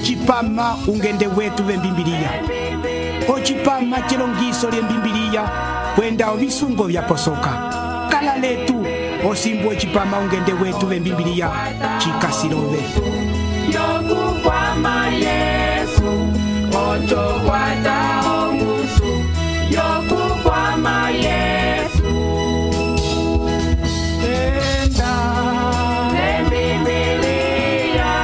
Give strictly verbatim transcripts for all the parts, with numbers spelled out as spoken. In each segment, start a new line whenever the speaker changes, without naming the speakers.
ocipama ungende wetu vembimbiliya, ocipama celongiso lyembimbiliya kwenda ovisungo vyaposoka. Kala letu osimbu ocipama ungende wetu vembimbiliya cikasilove.
Yokukwama Yesu, ocho kwata ongusu. Yokukwama Yesu, enda lembibiliya,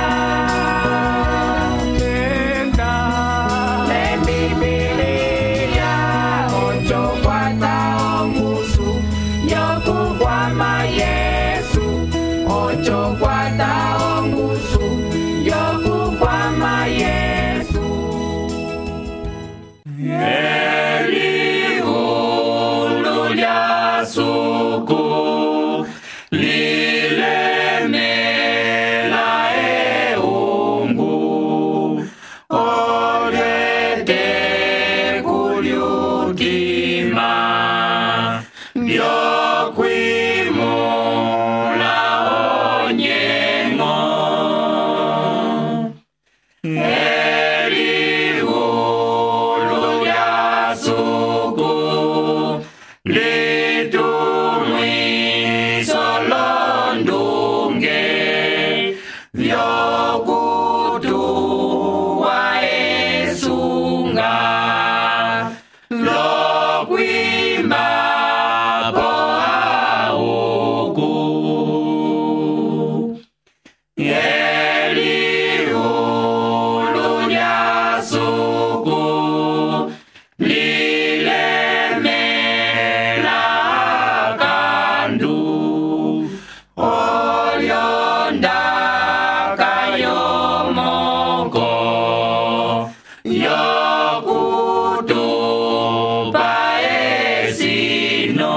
enda lembibiliya, ocho kwata ongusu. Yokukwama Yesu, ocho kwata ongusu. Yokukwama Yesu. Eliulu lya suku lilemela eungu, olete kulyukima byokwimula onyengo. Eliulu lya suku litumwiso londunge vyokutuwa esunga lokwima po auku. Eliulu lya suku lilemela kandu olyonda kayomoko yokutupa esino.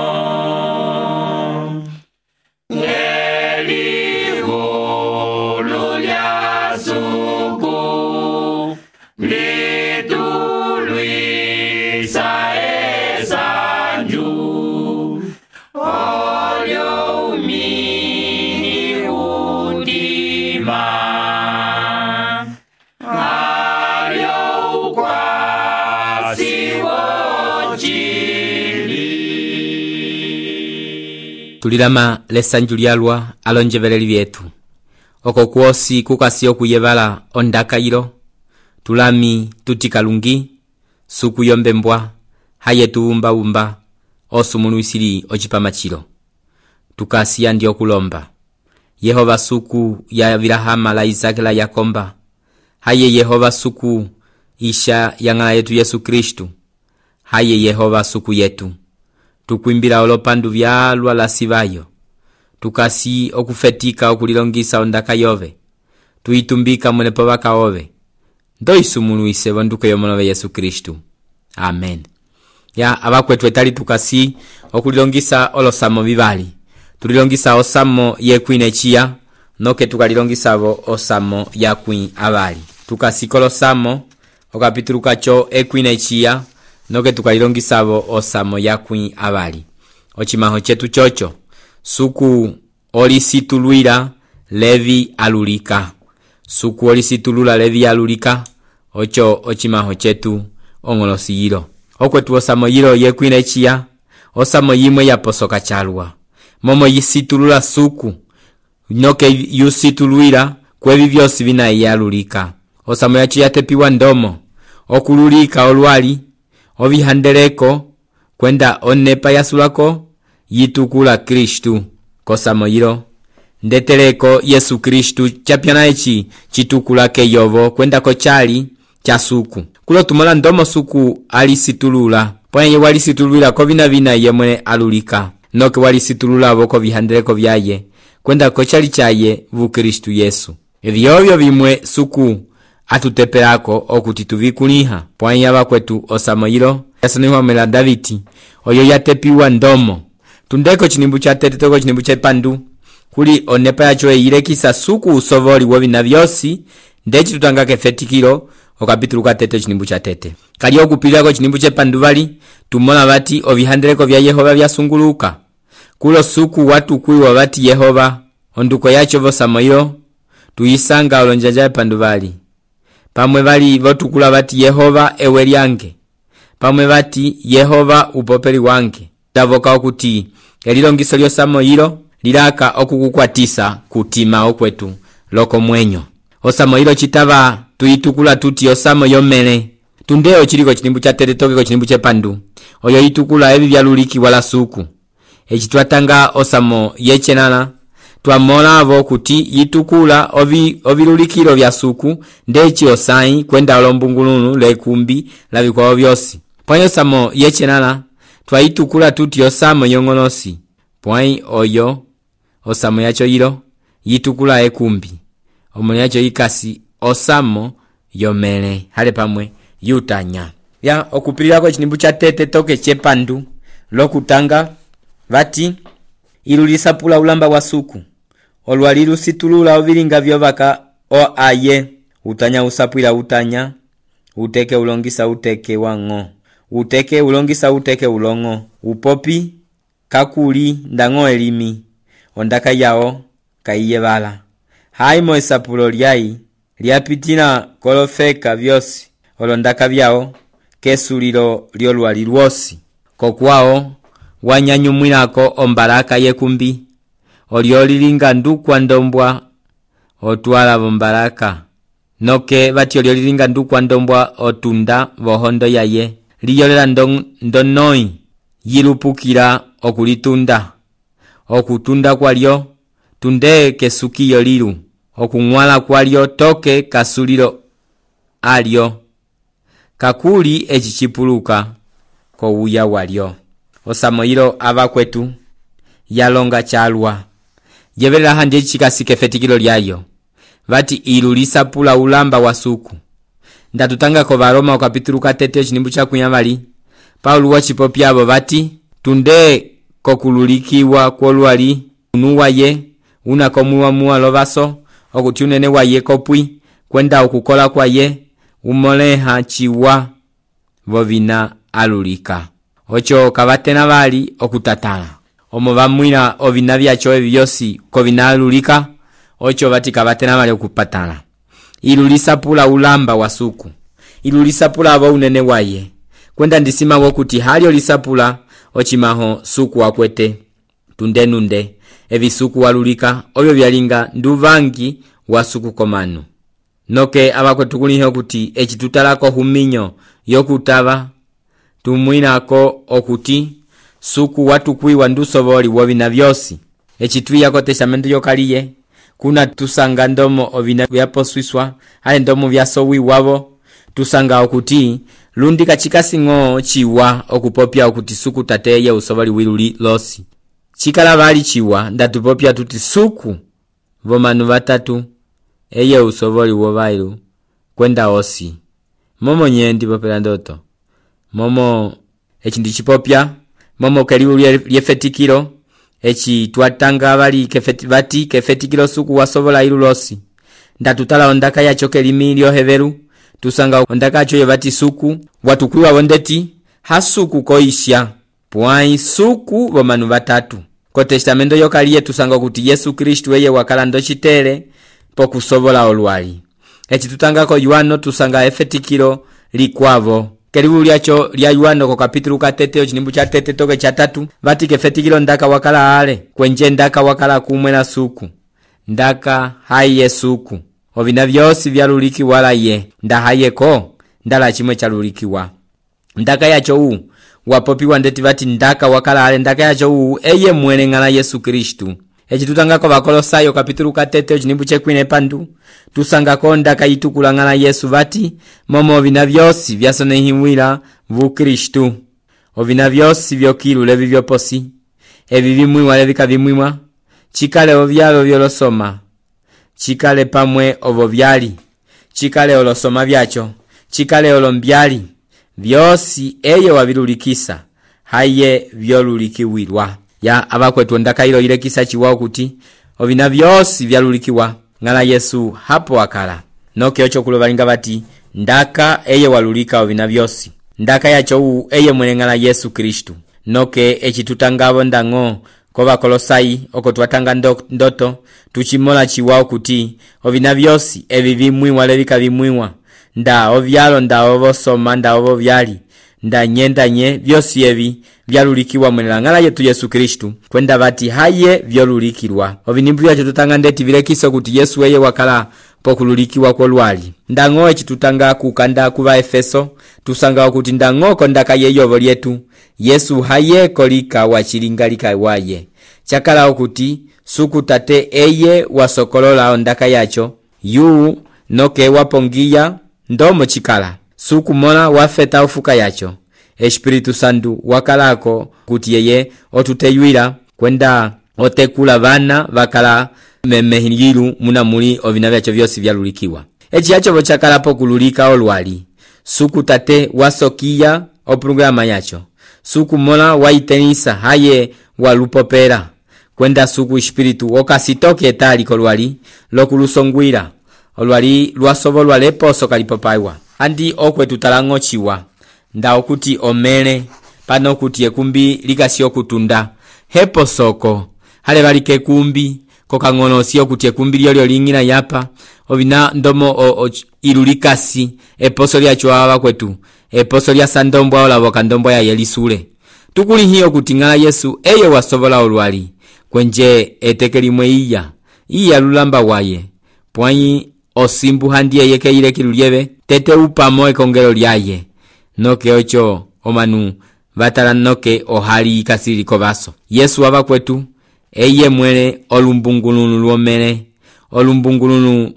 Eliulu lya suku litulwisa esanju olyo umini udima alyo ukwasi wochili.
Tulilama lesanju lyalwa alonjeveleli vyetu oko kwosi kukasi okuyevala ondakayilo tulami tutikalungi suku yombembwa haye tuwumba-wumba osumuluisili ocipama chilo tukasiya ndi okulomba. Yehova suku ya Abilahama la Isaki la Yakomba, haye Yehova suku isha ya ng'ala yetu Yesu Kristu, haye Yehova suku yetu tukwimbila olopandu vyalwa la sivayo tukasi okufetika okulilongisa ondaka yove tuitumbika mwenepo baka ove ndo isumuluise bonduko yomolove Yesu Kristu. Amen. Ya abakwetu etali tukasi okulilongisa olosamo vivali tulilongisa osamo yekwine chia noke tukalilongisavo osamo yakwi avali tukasi kolosamo okapitulu kacho ekwine chia noke tukalilongisavo osamo yakwi avali. Ochimaho chetu chocho suku olisitulwila Levi alulika. Suku olisitulula Levi alulika ocho ochimaho chetu ongolosi yilo. Okwetu osamo yilo yekwine chia osamo yimwe yaposoka chalwa momo yisitulula suku noke yusitulwila kwevi vyosi vina yalulika. Osamo yacho yatepiwa ndomo okululika olwali ovihandeleko kwenda onepa yasulako yitukula Kristu. Kosamo yilo ndeteleko Yesu Kristu chapyana echi chitukula ke yovo kwenda ko chali cha suku kulo tumola ndomo suku alisitulula pwenye walisitulula ko vina vina yemwe alulika noke walisitulula voko vihandeleko vyaye kwenda ko chali chaye vu Kristu Yesu. Evyovyo vimwe suku atutepelako okuti tuvikuliha pwenye abakwetu osamo yilo yasaniwa mela Daviti oyo yatepiwa ndomo tundeko chinimbu cha tete toko chinimbu cha pandu kuli onepa yacho eyilekisa suku usovoli wovina vyosi ndechi tutangake fetikilo okapitulu katete chinimbu cha tete kali okupilako chinimbu cha pandu vali tumona vati ovihandeleko vya Yehova vyasunguluka kulo suku watu kuiwa vati Yehova onduko yacho vosamo yilo tuyisanga olonjaja pandu vali pamwe bali votukula bati Yehova ewe lyange, pamwe bati Yehova upopeli wange. Ndavoka okuti elilongiso lyosamo yilo lilaka okukukwatisa kutima okwetu loko mwenyo. Osamo yilo chitava tuyitukula tuti osamo yomele. Tundeo chiliko chilimbu cha teretokeko chilimbu chepandu oyo yitukula ebi byaluliki wala suku. Echi twatanga osamo yechenala twamola avo kuti yitukula ovi ovilulikiro vya suku ndechi osai kwenda olombungulunu lekumbi labikwao byosi. Pwanyi osamo yechenala twayitukula tuti osamo yongolosi. Pwanyi oyo osamo yacho yilo yitukula ekumbi. Omoni yacho yikasi osamo yomele hale pamwe yutanya. Ya okupilira kwa chinimbu cha tete toke chepandu lokutanga vati ilulisa pula ulamba wa suku. Olwalilu situlula ovilinga vyovaka o aye. Utanya usapwila utanya. Uteke ulongisa uteke wango. Uteke ulongisa uteke ulongo. Upopi kakuli ndango elimi. Ondaka yao kaiye bala. Haimo esapulo lyai lyapitina kolofeka vyosi. Olondaka vyao kesulilo lyolwali lwosi. Kokwao wanyanyumwilako ombaraka yekumbi. Olyolilinga ndukwa ndombwa otwala bombaraka. Noke bati olyolilinga ndukwa ndombwa otunda vohondo yaye. Liyolela ndon, ndonoi yilupukira okulitunda. Okutunda kwa lyo tunde kesukiyo lilu. Okungwala kwa lyo toke kasulilo alyo. Kakuli echichipuluka ko uya walyo. Osamo yilo aba kwetu yalonga chalwa. Yebelela handi chikasike fetikilo lyayo. Vati ilulisa pula ulamba wa suku. Ndatutanga ko Baroma o kapitulu katete chinimbu cha kunyamali. Paulo wachipopya abo vati tunde kokululikiwa kolwali unuwa ye unakomuwa muwa lovaso okuti unene wa ye kopwi kwenda okukola kwa ye umoleha chiwa vovina alulika. Ocho kabatena bali okutatala. Omo bamwira ovina byacho ebyosi ko binalulika. Ocho bati kabatena bali okupatala. Ilulisa pula ulamba wa suku. Ilulisa pula abo unene waye. Kwenda ndisima wokuti halio lisapula ochimaho suku wakwete. Tunde nunde. Evi suku walulika. Oyo byalinga nduvangi wa suku komanu. Noke abakwetukulihe kuti echitutalako huminyo yokutaba tumwinako okuti suku watukwiwa ndusoboli wobina byosi. Echitwiyako testamento yokaliye kuna tusanga ndomo ovina byaposwiswa hale ndomo byasowi wabo tusanga okuti lundi kachikasingo chiwa okupopya okuti suku tateye usoboli wiluli losi. Chikala bali chiwa ndatupopya tuti suku vomanu batatu eye usoboli wobailu kwenda osi. Momo nyendi popela ndoto. Momo echi ndichipopya. Momo keliu lyefetikilo. Echi tuatanga bali kefeti, bati kefetikilo suku wasobola ilu losi. Ndatutala ondaka ya choke limilio heveru. Tusanga ondaka choye bati suku. Watukuluwa wondeti. Hasuku koisha. Puai suku vomanu batatu. Ko testamento yokaliye tusanga kuti Yesu Kristu eye wakala ndochitere pokusobola olwali. Echi tutangako Yohano tusanga efetikilo likwavo. Kelibu lyacho lya Yohano ko kapitulu katete chinimbu cha tete toke cha tatu vati kefetikilo ndaka wakala ale kwenje ndaka wakala kumwela suku. Ndaka haye suku. Ovina byosi byaluliki wala ye. Ndahayeko ndala chimwe chalulikiwa. Ndaka yacho u wapopiwa ndeti vati ndaka wakala ale ndaka yacho u eye mwele ngala Yesu Kristu. Echi tutangako bakolosayo kapitulu katete chinimbu chekwine pandu tusangako ndaka yitukula ngala Yesu vati momo ovina byosi byasonehimwila vu Kristu. Ovina byosi byokilu levi byoposi evi bimwiwa levika bimwiwa chikale ovyalo byolosoma chikale pamwe ovo byali chikale olosoma byacho chikale olombyali byosi eye wabilulikisa haye byolulikiwirwa. Ya abakwetu ndaka ilo ilekisa chiwao kuti ovina byosi byalulikiwa ngala Yesu hapo wakala. Noke ocho kulobalinga bati ndaka eye walulika ovina byosi. Ndaka yacho u eye mwene ngala Yesu Kristu. Noke echi tutangabo ndango koba kolosai oko tuatanga ndoto tuchimola chiwao kuti ovina byosi evi bimwiwa levika bimwiwa nda ovyalo nda ovosoma nda ovo vyali nda nyendanye vyosi evi vyalulikiwa mwenelang'ala yetu Yesu Kristu kwenda vati haye vyolulikirwa. Ovinimbu vyacho tutanga ndeti vilekiso kuti Yesu eye wakala pokululikiwa kolwali. Ndang'o echi tutanga kukanda kuva Efeso tusanga kuti ndang'oko ndaka yeyovo lyetu Yesu haye kolika wachilingalika waye. Chakala okuti suku tate eye wasokolola ondaka yacho yu noke wapongia ndomo chikala suku mona wafeta ufuka yacho. Espiritu Santu wakalako kuti yeye otuteyuira kwenda otekula vana vakala memehilu muna muli ovina vyacho vyosi vyalulikiwa. Echi yacho vochakala pokululika olwali suku tate wasokia oprograma yacho suku mona waitenisa haye walupopera kwenda suku espiritu okasitoke etali kolwali lokulusongwira olwali lwasovolwa leposo kalipopaiwa andi okwe tutalang'ochiwa nda okuti omele pano kuti ekumbi likasi okutunda hepo soko hale valike kumbi kokang'onosi okuti ekumbi lyolyo ling'ina yapa ovina ndomo o, o, ilulikasi eposo lyacho ava kwetu eposo lya sandombwa olavo kandombwa ya yelisule tukuli hiyo kuti ng'ala Yesu eye wasovola olwali kwenje etekelimwe iya iya lulamba waye pwanyi osimbu handie yeke ile kilulieve tete upamo ekongelo lyaye noke ocho omanu vatala noke ohali kasiri kovaso. Yesu ava kwetu eye mwele olumbungulunu luomele olumbungulunu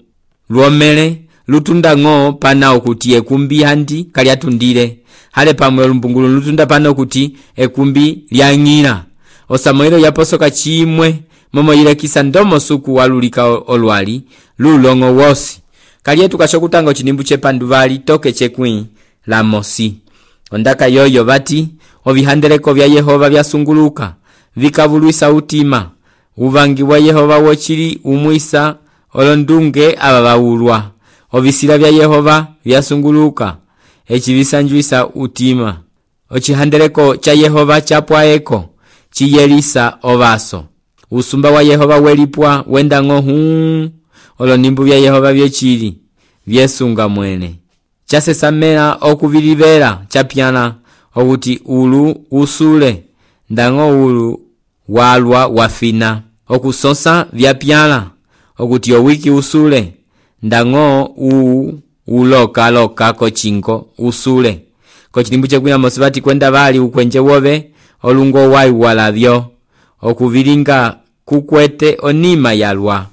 luomele lutunda ng'o pana okuti ekumbi handi kali atundile hale pamwe olumbungulunu lutunda pana okuti ekumbi lyang'ila osamoilo yaposoka chimwe momo ile kisa ndomo suku walulika olwali lulongo wosi kali etu kashokutanga chinimbu chepanduvali toke chekwi la mosi ondaka yoyo vati ovihandeleko vya Yehova vyasunguluka vikavuluisa utima uvangi wa Yehova wochili umwisa olondunge aba baulwa ovisila vya Yehova vyasunguluka echivisanjuisa utima ochihandeleko cha Yehova chapwaeko chiyelisa ovaso usumba wa Yehova welipwa wenda ng'ohu olonimbu vya Yehova vyechili vyesunga mwene chasesamela okuvilivela chapyana okuti ulu usule ndang'o ulu walwa wafina okusonsa vyapyala okuti owiki usule ndang'o u uloka loka kochingo usule kochilimbu chekwina mosivati kwenda vali ukwenje wove olungo wai walavyo okuvilinga kukwete onima yalwa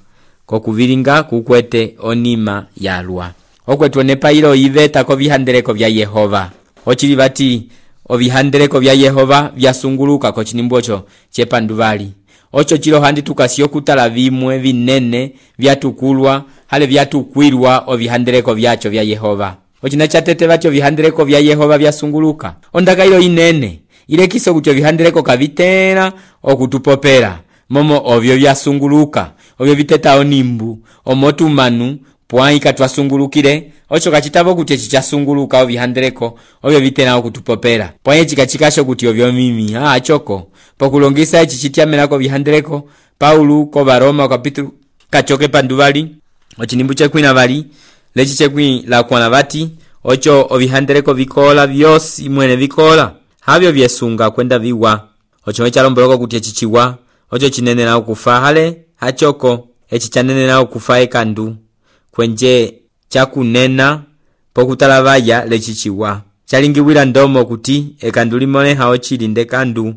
kokuvilinga kukwete onima yalwa okwetu nepa ilo iveta ko vihandeleko vya Yehova ochili vati ovihandeleko vya Yehova vyasunguluka ko chinimbocho chepanduvali ocho chilo handi tukasio kutala vimwe vinene vyatukulwa hale vyatukwirwa ovihandeleko vyacho vya Yehova ochina chatete vacho vihandeleko vya Yehova vyasunguluka ondaka ilo inene ile kiso kuti ovihandeleko kavitera okutupopera momo ovyo vyasunguluka ovyo viteta onimbu omotumanu pwai katwasungulukire ocho kachitavo kuti chichasunguluka ovihandeleko ovyo vitena okutupopera pwai chikachikasho kuti ovyo mimi ah choko pokulongisa ichi chitiamelako vihandeleko Paulo ko Baroma kapitulu kachoke panduvali ochinimbu chekwina vali lechi chekwi la kwana vati ocho ovihandeleko vikola vyosi mwene vikola havyo vyesunga kwenda viwa ocho echalomboloko kuti echichiwa ocho chinene na okufa hale hachoko echi chanene na okufa ekandu kwenje chakunena pokutalavaya lechichiwa chalingiwira ndomo kuti ekandu limone hao chilinde kandu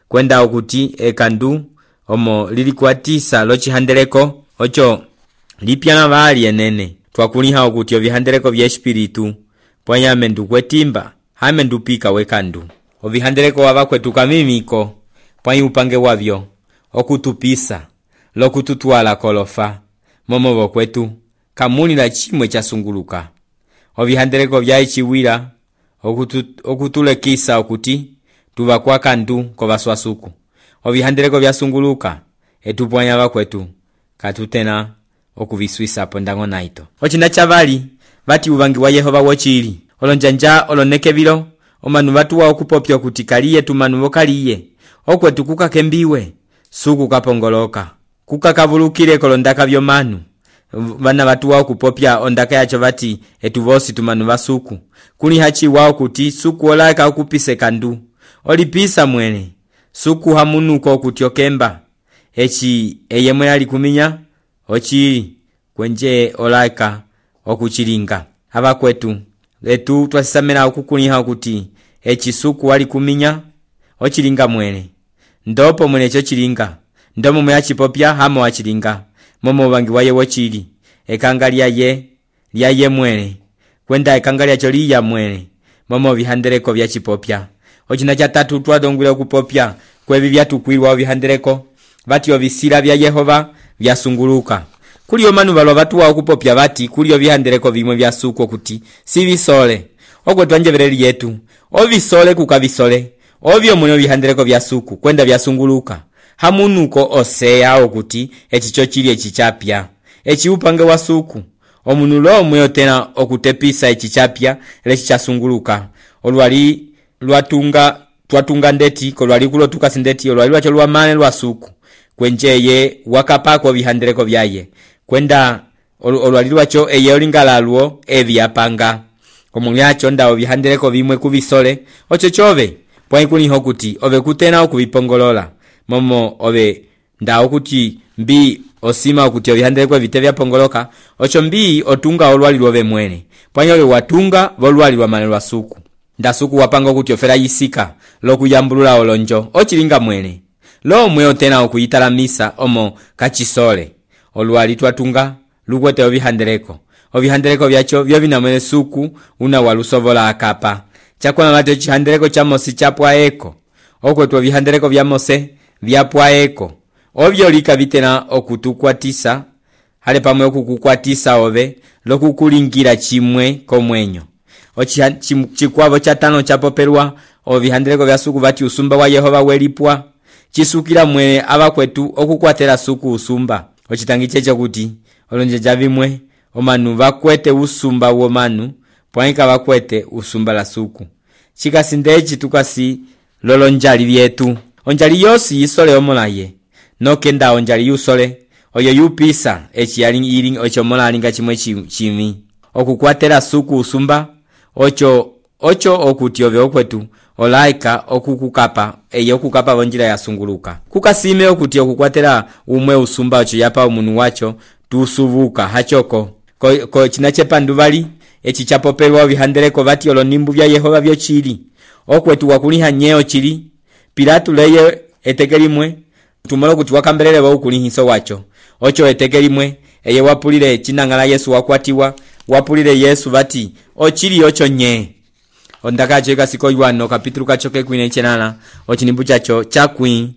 kwenda okuti ekandu omo lilikuatisa lochihandeleko ocho lipyana vali enene twakuliha okuti ovihandeleko vya espiritu pwanyame ndukwetimba hame ndupika wekandu ovihandeleko wavakwetu kamimiko pwanyi upange wavyo okutupisa lokututwala kolofa momo vokwetu kamuni la chimwe chasunguluka ovihandeleko vya ichiwira okutu, okutulekisa okuti tuva kwa kandu kovaswasuku ovihandeleko vyasunguluka etupwanya vakwetu katutena okuviswisa pondango naito ochina chavali vati uvangi wa Yehova wochili olonjanja olonekevilo omanu vatuwa okupopya kuti kaliye tumanu vokaliye okwetu kukakembiwe suku kapongoloka kukakavulukire kolondaka vyomanu vana vatuwa okupopya ondaka yacho vati etu vosi tumanu vasuku kuli hachi wao kuti suku olaika okupise kandu olipisa mwene suku hamunuko okuti okemba echi eyemwe yali kuminya ochili kwenje olaika okuchilinga abakwetu etu twasisamena okukuliha okuti echi suku wali kuminya ochilinga mwene ndopo mwene cho chilinga ndomo mwe achipopya hamo wachilinga momo bangi waye wochili ekanga lyaye lyaye mwene kwenda ekanga lyacho liya mwene momo bihandereko bya chipopya ochina cha tatu twadongwile okupopya kwebi byatukwirwa bihandereko bati obisira bya Yehova byasunguluka kuli omanu balwa batuwa okupopya bati kuli obihandereko bimwe byasuko kuti si bisole ogwe twanjebereri yetu obisole kukabisole obyo muno bihandereko byasuku kwenda byasunguluka hamunuko oseya okuti echicho chili echichapya echi upange wasuku omunulo omwe tena okutepisa echichapya lechichasunguluka olwali lwatunga twatunga ndeti kolwali kulo tukasindeti olwali lwacho lwamane lwasuku kwenjeye wakapako bihandereko byaye kwenda olwali lwacho eye olingalalwo ebyapanga omulyacho ndawo bihandereko bimwe kubisole ocho chove pwai kuliho kuti ove kutena okubipongolola momo ove ndawo kuti mbi osima okuti obihandereko bite byapongoloka ocho mbi otunga olwali lwove mwene pwai ove watunga volwali lwamane lwasuku ndasuku wapanga kuti ofera yisika lokuyambulula olonjo ochilinga mwene lo mwe otena okuyitala misa omo kachisole olwali twatunga lukwete obihandereko obihandereko byacho byo binamwe suku una walusovola akapa chakwana late chihandereko cha Mose chapwa eko okwetwa bihandereko bya Mose byapwa eko obyo lika bitena okutukwatisa hale pamwe okukukwatisa ove lokukulingira chimwe komwenyo ochikwavo cha tano chapoperwa obihandereko bya suku bati usumba wa Yehova welipwa chisukira mwene abakwetu okukwatera suku usumba ochitangi checho kuti olonje javimwe omanu bakwete usumba womanu pwaika bakwete usumba la suku chikasindechi tukasi lolonjali byetu onjali yosi yisole omolaye nokenda onjali yusole oyo yupisa echi yali iling ocho mola alinga chimwe chimi okukwatera suku usumba ocho ocho okuti ove okwetu olaika okukukapa eyo okukapa bonjira yasunguluka kukasime okuti okukwatera umwe usumba ocho yapa umunu wacho tusubuka hachoko ko, ko chinachepa nduvali echi chapopelwa bihandereko bati olonimbu bya Yehova byo chili okwetu wakuliha nyeo chili Pilatu leye etekelimwe tumolo kuti wakambelele ba ukulihiso wacho ocho etekelimwe eye wapulile chinangala Yesu wakwatiwa wapulile Yesu bati ochili ocho nye ondaka cheka siko yuano kapitulu kachoke kwine chenana ochinimbu chacho chakwi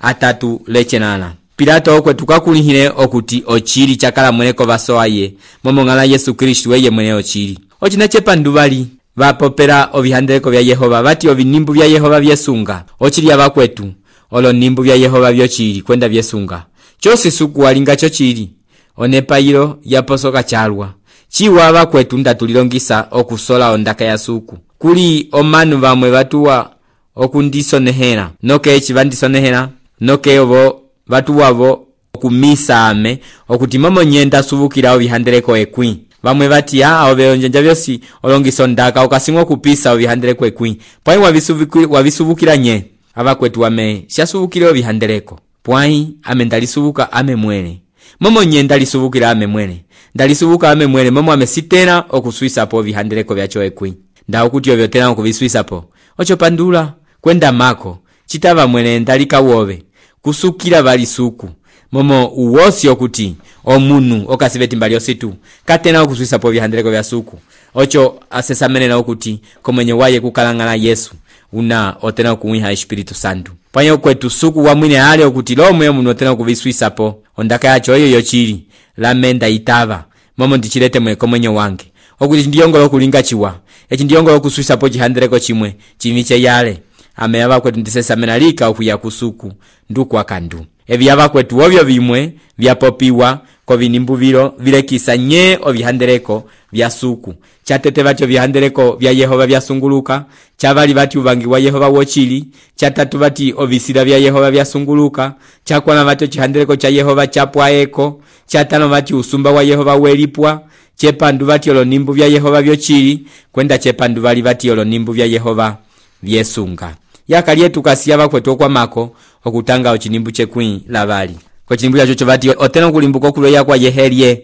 atatu lechenana Pilato okwe tukakulihile okuti ochili chakala mweneko basoaye momongala Yesu Kristo weye mwene ochili ochinachepa ndubali bapopera obihandereko bya Yehova bati obinimbu bya Yehova byesunga ochili abakwetu olo nimbu bya Yehova byochili kwenda byesunga chose suku walinga cho chili onepayiro yaposoka chalwa chiwa abakwetu ndatulilongisa okusola ondaka ya suku kuli omanu bamwe batuwa okundisonehera noke echi bandisonehera noke obo batuwabo okumisa ame okuti momo nyenda subukira obihandereko ekwi bamwe bati ah obeyonjenja byosi olongisa ondaka okasimwa kupisa obihandereko ekwi pwai wabisubukira wabisubukira nye abakwetu wame syasubukira obihandereko pwai ame ndalisubuka ame mwene momo nye ndalisubuka ame mwene ndalisubuka ame mwene momo ame sitena okuswisa po obihandereko byacho ekwi ndawo kuti obyo tena okubiswisa po ocho pandula kwenda mako chitaba mwene ndalika wobe kusukira bali suku momo uwosi okuti omunu okasibeti mbali ositu katena okuswisa po bihandereko bya suku ocho asesamene na okuti komenye waye kukalangana Yesu una otena okuwiha Espiritu Santo panyo kwetu suku wa mwine hali okuti lomwe omuntu otena okubiswisa po ondaka yacho oyo yochili lamenda itava momo ndichilete mwe komenye wange okuti ndiyongolo okulinga chiwa echi ndiyongolo okuswisa po chihandereko chimwe chimiche yale ame abakwetu ndisesamena lika okuya kusuku nduku akandu ebi abakwetu obyo bimwe byapopiwa ko binimbu biro vilekisa nye obihandereko vya suku chatete vacho vihandeleko vya Yehova vyasunguluka chavali vati uvangi wa Yehova wochili chatatu vati ovisira vya Yehova vyasunguluka chakwana vacho chihandeleko cha Yehova chapwaeko chatano vati usumba wa Yehova welipwa chepandu vati olonimbu vya Yehova vyochili kwenda chepandu vali vati olonimbu vya Yehova vyesunga yakali yetu kasiyava kwetu kwa mako okutanga ochinimbu chekwi lavali kwa chinimbu chacho vati otena kulimbuka okuloya kwa Yehelie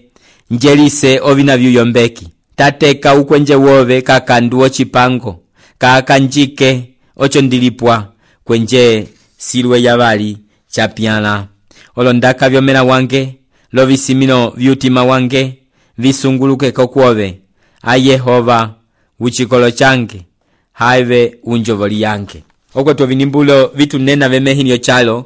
njelise ovina vyuyombeki tateka ukwenje wove kakandu ochipango kakanjike ocho ndilipwa kwenje silwe yavali chapyala olondaka vyomena wange lovisimino vyutima wange visunguluke kokwove a Yehova uchikolo change haive unjovoli yange okwetu vinimbulo vitu nena vemehinyo chalo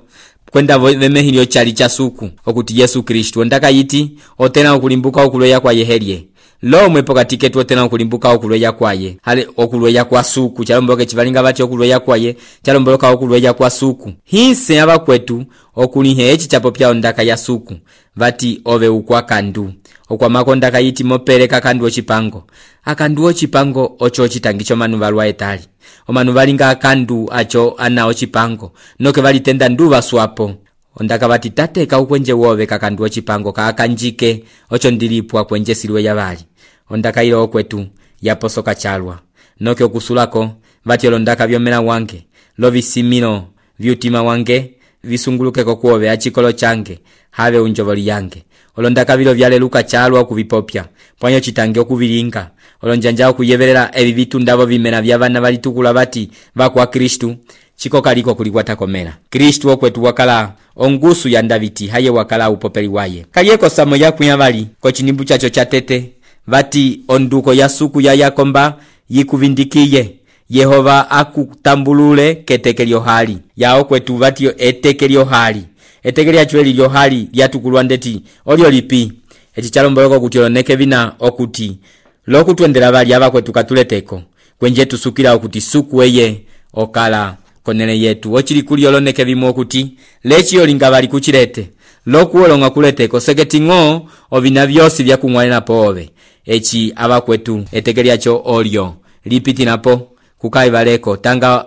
kwenda vemehinyo chali cha suku okuti Yesu Kristo ndaka yiti otena okulimbuka okuloya kwa Yehelie lo mwepo katike tu otena okulimbuka okuloya kwaye hale okuloya kwa suku chalomboke chivalinga vati okuloya kwaye chalomboloka okuloya kwa suku hinse aba kwetu okulihe echi chapo pya ndaka ya suku vati ove ukwa kandu okwa makonda kayiti mopereka kandu ochipango akandu ochipango ocho ochitangicho manu valwa etali omanu valinga akandu acho ana ochipango noke valitenda nduva swapo ondaka vati tateka ukwenje wove kakandu ochipango kakanjike ocho ndilipwa kwenje silwe yavali ondaka ilo okwetu yaposoka chalwa noke okusulako vati olondaka vyomena wange lovisimino vyutima wange visunguluke kokwove achikolo change have unjovoli yange olondaka vilo vyaleluka chalwa okuvipopya pwanyo chitange okuvilinga olonjanja okuyeverera evi vitu ndavo vimena vya vana valitukula vati vakwa Kristu chiko kaliko kulikwata komera Kristu okwetu wakala ongusu ya Daviti haye wakala upopeli waye kalieko samo yakunya vali ko chinimbu chacho chatete vati onduko ya suku ya Yakomba yikuvindikiye Yehova akutambulule ketekelyo hali yao kwetu vati etekelyo hali etekelya chweli lyo hali lyatukulwa ndeti olyo lipi echi chalomboloko kuti oloneke vina okuti lokutwendera vali aba kwetu katuleteko kwenje tusukira okuti suku eye okala konene yetu ochili kuli oloneke vimo okuti lechi olinga vali kuchilete lokuolonga kuleteko seketingo ovina vyosi vya kumwalena pove echi aba kwetu etekelyacho olyo lipiti napo kukai valeko tanga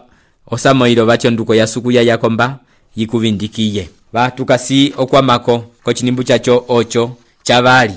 osamoilo vacho nduko ya suku ya Yakomba yikuvindikiye vatukasi okwamako ko chinimbu chacho ocho chavali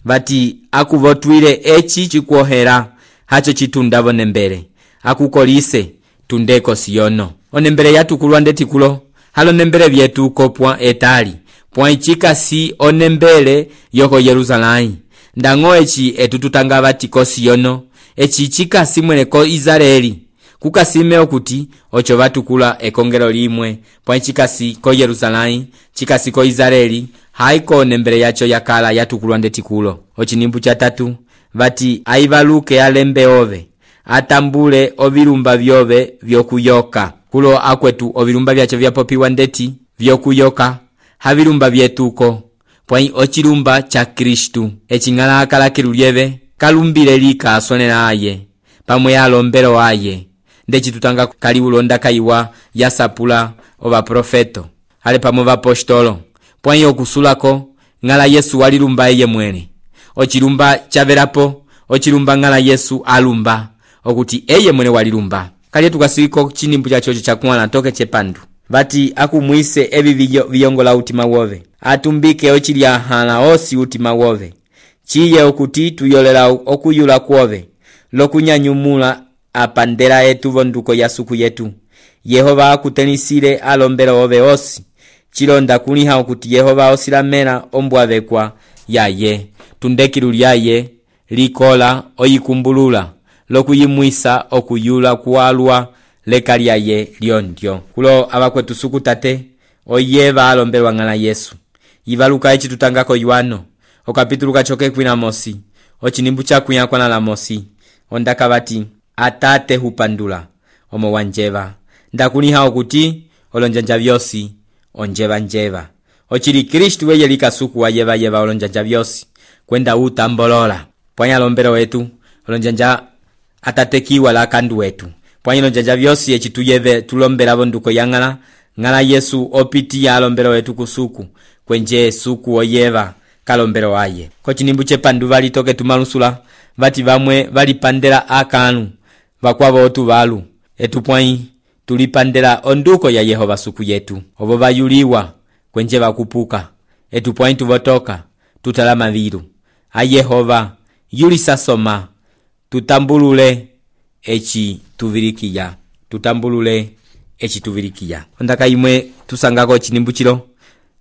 vati akuvotwile echi chikuohera hacho chitundavo nembele akukolise tundeko siyono onembele yatukulwa ndetikulo halo nembele vyetu kopwa etali pwa ichikasi onembele yoko Yerusalai ndango echi etututanga vati ko siyono echi chikasi mwene ko Israeli kukasime okuti ocho vatukula ekongero limwe pwa chikasi ko Yerusalai chikasi ko Israeli haiko nembele yacho yakala yatukulwa ndetikulo ochinimbu cha tatu vati aivaluke alembe ove atambule ovilumba vyove vyokuyoka kulo akwetu ovilumba vyacho vyapopiwa ndeti vyokuyoka havilumba vyetuko pwa ochilumba cha Kristu echingala akala kilulyeve kalumbile lika asonela aye pamwe alombelo aye ndechi tutanga kali ulonda kaiwa yasapula ova profeto ale pamwe vapostolo pwanyo okusulako ngala Yesu walilumba eye mwene ochilumba chaverapo ochilumba ngala Yesu alumba okuti eye mwene walilumba kali tukasiko chinimbu chacho chakuana toke chepandu vati akumwise evi viyongola utima wove atumbike ochilya hala osi utima wove chiye okuti tuyolela okuyula kwove lokunyanyumula apandela etu vonduko ya suku yetu Yehova akutenisile alombelo ove osi chilonda kuliha okuti Yehova osilamela ombwavekwa yaye tundekilu lyaye likola oyikumbulula lokuyimwisa okuyula kualwa leka lyaye lyondyo kulo abakwetu suku tate oyeva alombelwa ngala Yesu ivaluka echi tutangako Yohano okapitulu kachoke kwina mosi ochinimbu chakuya kwa la mosi ondaka vati atate hupandula omo wanjeva ndakuliha okuti olonjanja vyosi onjeva njeva ochili Kristu weye likasuku wayeva yeva olonjanja vyosi kwenda utambolola pwanya lombero wetu olonjanja atatekiwa la kandu wetu pwanya olonjanja vyosi echituyeve tulombela bonduko yangala ngala Yesu opiti ya lombero wetu kusuku kwenje suku oyeva kalombero aye ko chinimbu chepandu vali toke tumalusula vati vamwe valipandela akanu vakwavo otuvalu etupwai tulipandela onduko ya Yehova suku yetu ovo vayuliwa kwenje vakupuka etupwai tuvotoka tutala mavilu a Yehova yulisa soma tutambulule echi tuvilikiya tutambulule echi tuvilikiya ondaka imwe tusangako chinimbuchilo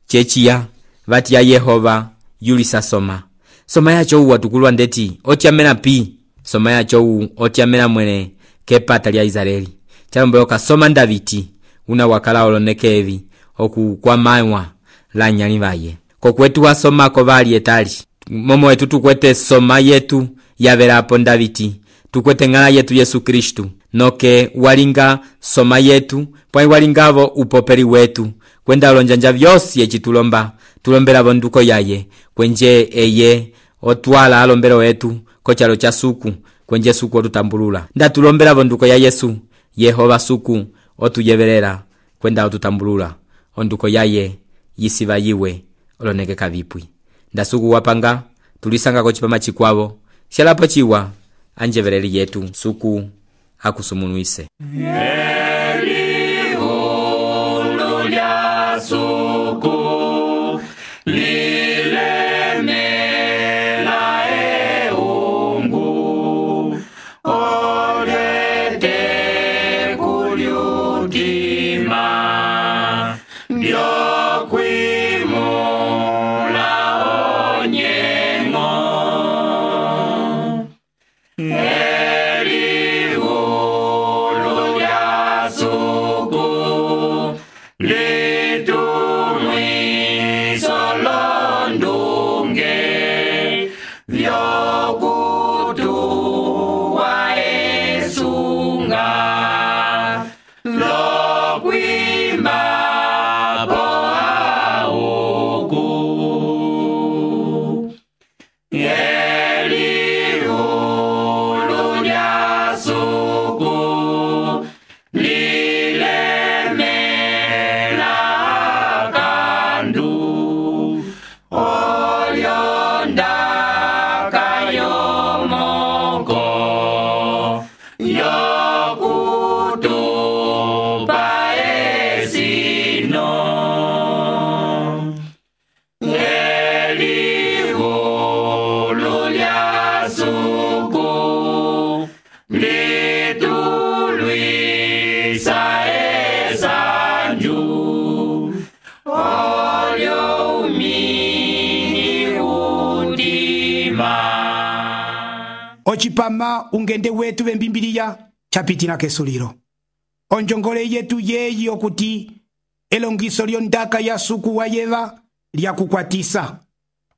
chechiya vati ya Yehova yulisa soma soma yacho uwa tukulwa ndeti otyamena pi soma yacho u otyamena mwene kepata lya Israeli chalombeoka soma Daviti una wakala olonekevi oku kwa maiwa la nyali vaye kokwetu wasoma ko vali etali momo wetu tukwete soma yetu yavelapo Daviti tukwete ngala yetu Yesu Kristu noke walinga soma yetu pwai walingavo upopeli wetu kwenda olonjanja vyosi echitulomba tulombela vonduko yaye kwenje eye otwala alombelo wetu kochalo cha suku kwenje suku otutambulula nda tulombela vonduko ya Yesu Yehova suku otuyevelela kwenda otutambulula onduko yaye yisiva yiwe oloneke kavipwi nda suku wapanga tulisanga ko chipama chikwavo shalapo chiwa anjeveleli yetu suku akusumunuise
Elihulu lya suku lilemela eungu olete kulyutima lyokwimula onyengo Elihulu lya suku litumwiso londunge vyokutuwa esunga lokwima po auku Elihulu lya suku lilemela kandu olyondaka yomoko yokutupa esino Elihulu lya suku litulwisa esanju olyo umini udima
ocipama ungende wetu vembimbiliya chapitina kesulilo onjongole yetu yeyi okuti elongiso lyondaka ya suku wa yeva lyakukwatisa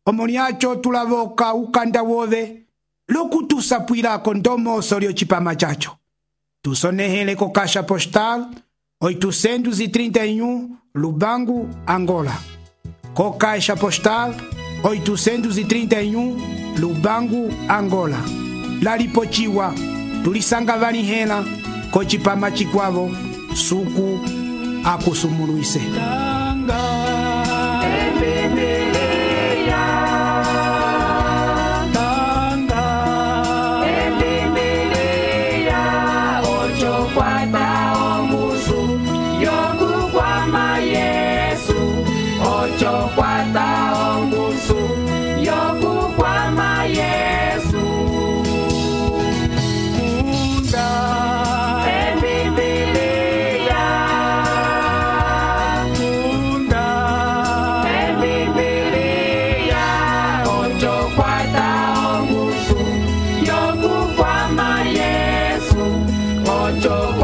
omo lyacho tulavoka ukanda wove lokutusapwilako ndomoso lyocipama chacho tusonehele ko caixa postal oitocentos e trinta e um Lubango, Angola. Co caixa postal oitocentos e trinta e um Lubango, Angola. Lalipochiwa tulisanga vanihela ko cipama chikwavo suku akusumuluise.
Ocho